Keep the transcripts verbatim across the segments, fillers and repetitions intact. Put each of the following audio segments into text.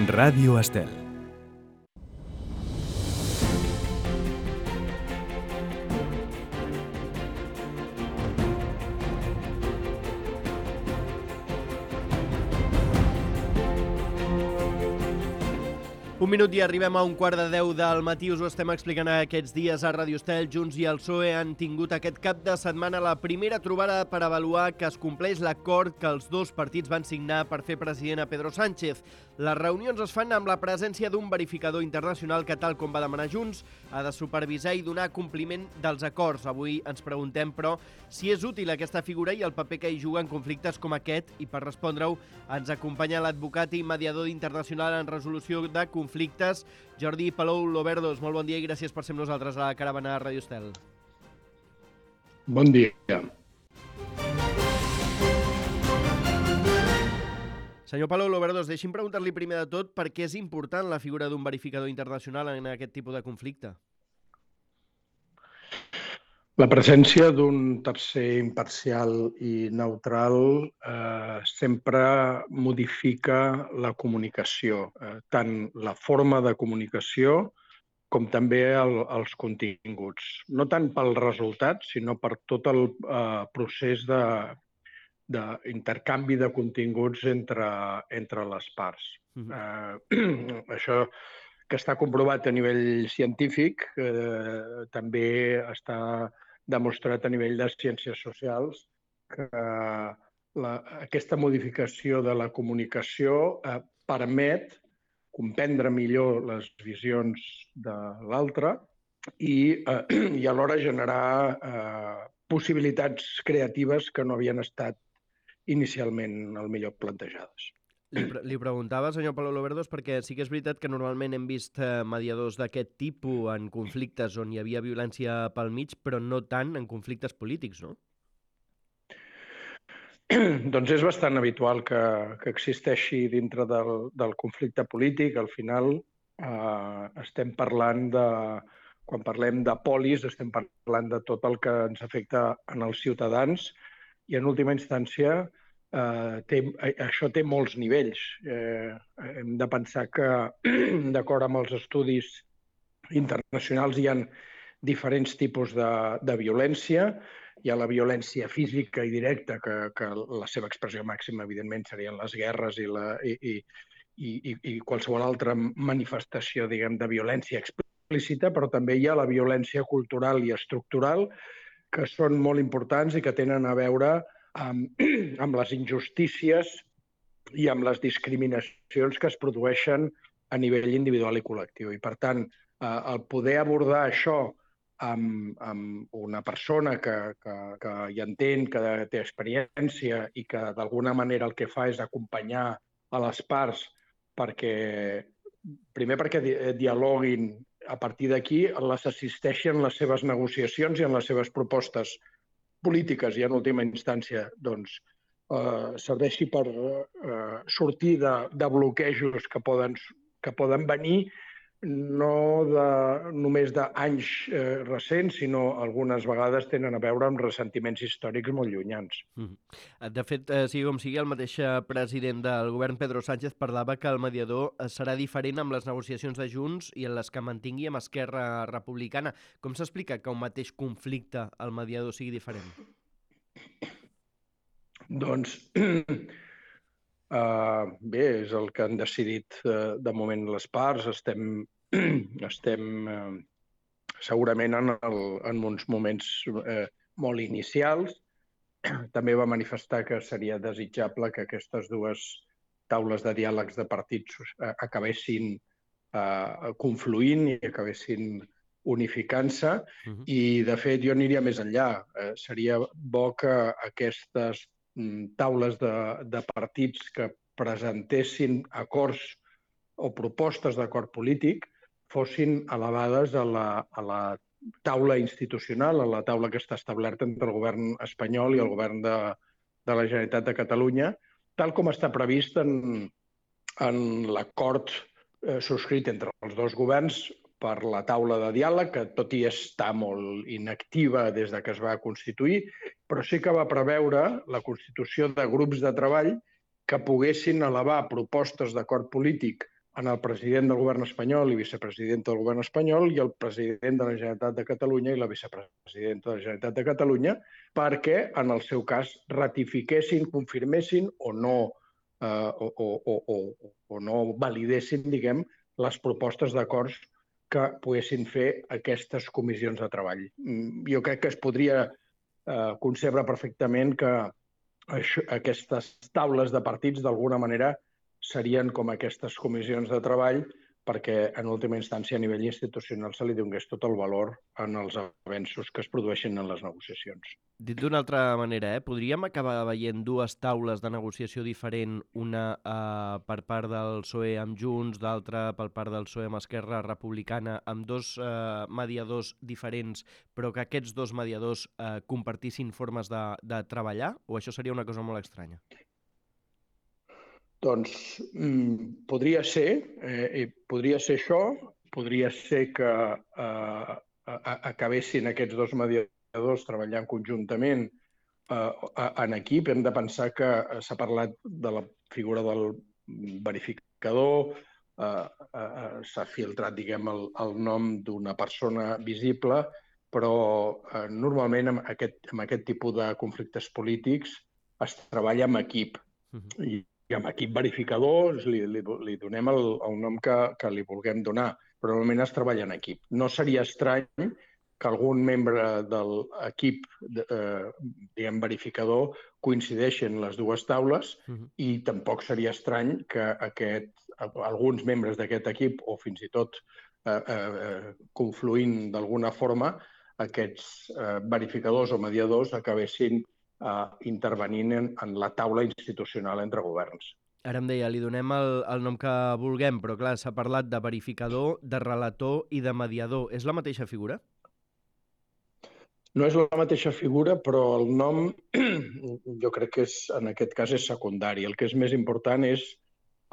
Ràdio Estel. Un minut i arribem a un quart de deu del matí. Us ho estem explicant aquests dies a Ràdio Estel. Junts i el P S O E han tingut aquest cap de setmana la primera trobada per avaluar que es compleix l'acord que els dos partits van signar per fer president a Pedro Sánchez. Les reunions es fan amb la presència d'un verificador internacional que, tal com va demanar Junts, ha de supervisar i donar compliment dels acords. Avui ens preguntem, però, si és útil aquesta figura i el paper que hi juga en conflictes com aquest, i per respondre-ho ens acompanya l'advocat i mediador internacional en resolució de conflictes, Jordi Palou Loverdos. Molt bon dia i gràcies per ser amb nosaltres a la caravana de Ràdio Estel. Bon dia. Senyor Palou Loverdos, deixi'm preguntar-li primer de tot per què és important la figura d'un verificador internacional en aquest tipus de conflicte. La presència d'un tercer imparcial i neutral eh, sempre modifica la comunicació, eh, tant la forma de comunicació com també el, els continguts. No tant pel resultat, sinó per tot el eh, procés de d'intercanvi de continguts entre, entre les parts. Uh-huh. eh, això que està comprovat a nivell científic eh, també està demostrat a nivell de ciències socials que la, aquesta modificació de la comunicació eh, permet comprendre millor les visions de l'altre i, eh, i alhora generar eh, possibilitats creatives que no havien estat inicialment el millor plantejades. Li, pre li preguntava, senyor Palou Loverdos, perquè sí que és veritat que normalment hem vist eh, mediadors d'aquest tipus en conflictes on hi havia violència pel mig, però no tant en conflictes polítics, no? Doncs és bastant habitual que, que existeixi dintre del, del conflicte polític. Al final eh, estem parlant de... Quan parlem de polis, estem parlant de tot el que ens afecta en els ciutadans i, en última instància, eh, té, això té molts nivells. Eh, hem de pensar que, d'acord amb els estudis internacionals, hi ha diferents tipus de, de violència. Hi ha la violència física i directa, que, que la seva expressió màxima, evidentment, serien les guerres i, la, i, i, i, i qualsevol altra manifestació, diguem, de violència explícita, però també hi ha la violència cultural i estructural, que són molt importants i que tenen a veure amb, amb les injustícies i amb les discriminacions que es produeixen a nivell individual i col·lectiu. I, per tant, eh, el poder abordar això amb, amb una persona que, que, que hi entén, que té experiència i que d'alguna manera el que fa és acompanyar a les parts perquè, primer perquè dialoguin. A partir d'aquí les assisteixen en les seves negociacions i en les seves propostes polítiques i, en última instància, doncs, eh, serveixi per eh, sortir de, de bloquejos que poden, que poden venir no de, només d'anys eh, recents, sinó algunes vegades tenen a veure amb ressentiments històrics molt llunyans. De fet, eh, sigui com sigui, el mateix president del govern, Pedro Sánchez, parlava que el mediador serà diferent amb les negociacions de Junts i en les que mantingui amb Esquerra Republicana. Com s'explica que un mateix conflicte el mediador sigui diferent? Doncs Uh, bé, és el que han decidit uh, de moment les parts. Estem, estem uh, segurament en, el, en uns moments uh, molt inicials. També va manifestar que seria desitjable que aquestes dues taules de diàlegs de partits uh, acabessin uh, confluint i acabessin unificant-se. Uh-huh. I, de fet, jo aniria més enllà. Uh, seria bo que aquestes taules de, de partits que presentessin acords o propostes d'acord polític fossin elevades a la, a la taula institucional, a la taula que està establerta entre el govern espanyol i el govern de, de la Generalitat de Catalunya, tal com està previst en, en l'acord eh, subscrit entre els dos governs per la taula de diàleg, que tot i està molt inactiva des de que es va constituir, però sí que va preveure la constitució de grups de treball que poguessin elevar propostes d'acord polític en el president del govern espanyol i vicepresidenta del govern espanyol i el president de la Generalitat de Catalunya i la vicepresidenta de la Generalitat de Catalunya, perquè, en el seu cas, ratifiquessin, confirmessin o no, eh, o, o, o, o, o no validessin, diguem, les propostes d'acords que poguessin fer aquestes comissions de treball. Jo crec que es podria eh, concebre perfectament que això, aquestes taules de partits, d'alguna manera, serien com aquestes comissions de treball perquè, en última instància, a nivell institucional se li donés tot el valor en els avenços que es produeixen en les negociacions. Dit d'una altra manera, eh? podríem acabar veient dues taules de negociació diferent, una eh, per part del P S O E amb Junts, d'altra per part del P S O E amb Esquerra Republicana, amb dos eh, mediadors diferents, però que aquests dos mediadors eh, compartissin formes de, de treballar, o això seria una cosa molt estranya? Doncs mm, podria ser, eh, podria ser això, podria ser que eh, acabessin aquests dos mediadors treballant conjuntament eh, en equip. Hem de pensar que s'ha parlat de la figura del verificador, eh, eh, s'ha filtrat, diguem, el, el nom d'una persona visible, però eh, normalment amb aquest, amb aquest tipus de conflictes polítics es treballa amb equip. Uh-huh. I I amb equip verificador li, li, li donem el, el nom que, que li vulguem donar, però normalment es treballa en equip. No seria estrany que algun membre de l'equip eh, diguem, verificador coincideixi en les dues taules uh-huh. i tampoc seria estrany que aquest, alguns membres d'aquest equip, o fins i tot eh, eh, confluint d'alguna forma, aquests eh, verificadors o mediadors acabessin Uh, intervenint en, en la taula institucional entre governs. Ara em deia, li donem el, el nom que vulguem, però clar, s'ha parlat de verificador, de relator i de mediador. És la mateixa figura? No és la mateixa figura, però el nom jo crec que és, en aquest cas és secundari. El que és més important és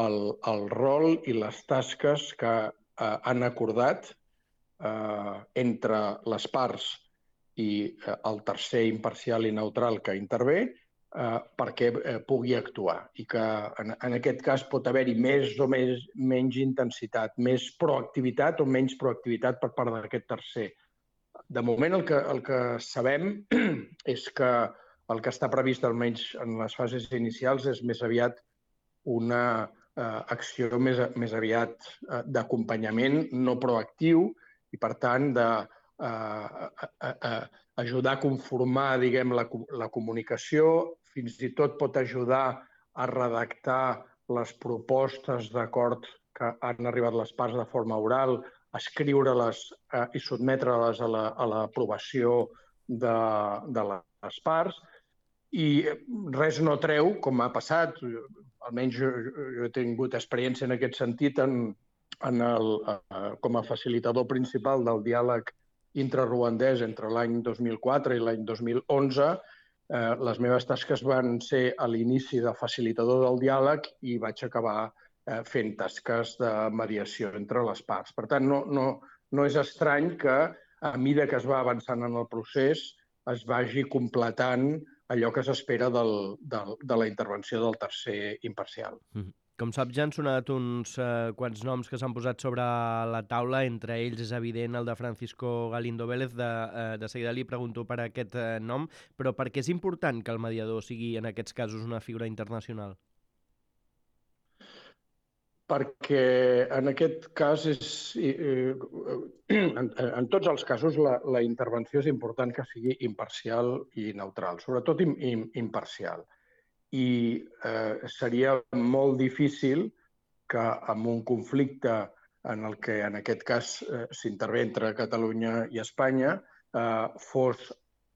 el, el rol i les tasques que uh, han acordat uh, entre les parts i el tercer imparcial i neutral que intervé eh, perquè eh, pugui actuar i que en, en aquest cas pot haver-hi més o més, menys intensitat, més proactivitat o menys proactivitat per part d'aquest tercer. De moment el que, el que sabem és que el que està previst almenys en les fases inicials és més aviat una eh, acció més, més aviat eh, d'acompanyament no proactiu i per tant de Uh, uh, uh, uh, ajudar a conformar, diguem, la, la comunicació, fins i tot pot ajudar a redactar les propostes d'acord que han arribat les parts de forma oral, escriure-les uh, i sotmetre-les a l'aprovació de, de les parts. I res no treu, com ha passat, almenys jo, jo he tingut experiència en aquest sentit en, en el, uh, com a facilitador principal del diàleg intraruandès entre l'any dos mil quatre i l'any dos mil onze, eh, les meves tasques van ser a l'inici de facilitador del diàleg i vaig acabar eh, fent tasques de mediació entre les parts. Per tant, no, no, no és estrany que a mesura que es va avançant en el procés es vagi completant allò que s'espera del, del, de la intervenció del tercer imparcial. Mm-hmm. Com saps, ja han sonat uns eh, quants noms que s'han posat sobre la taula, entre ells és evident el de Francisco Galindo Vélez, de, eh, de seguida li pregunto per aquest eh, nom, però per què és important que el mediador sigui en aquests casos una figura internacional? Perquè en aquest cas, és, eh, en, en tots els casos, la, la intervenció és important que sigui imparcial i neutral, sobretot im, im, imparcial. I eh, seria molt difícil que en un conflicte en el que en aquest cas eh, s'intervé entre Catalunya i Espanya eh, fos,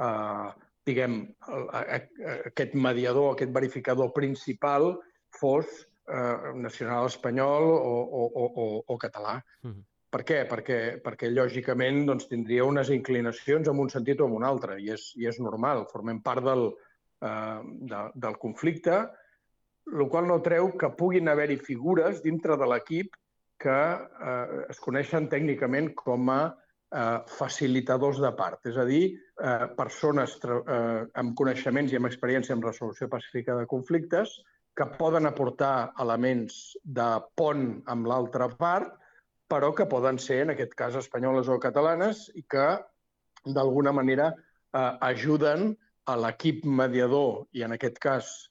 eh, diguem, aquest mediador, aquest verificador principal fos eh, nacional espanyol o, o, o, o català. Mm-hmm. Per què? Perquè, perquè lògicament doncs, tindria unes inclinacions en un sentit o en un altre, i és, i és normal, formem part del De, del conflicte, el qual no treu que puguin haver-hi figures dintre de l'equip que eh, es coneixen tècnicament com a eh, facilitadors de part, és a dir, eh, persones eh, amb coneixements i amb experiència en resolució pacífica de conflictes que poden aportar elements de pont amb l'altra part, però que poden ser, en aquest cas, espanyoles o catalanes i que, d'alguna manera, eh, ajuden a l'equip mediador, i en aquest cas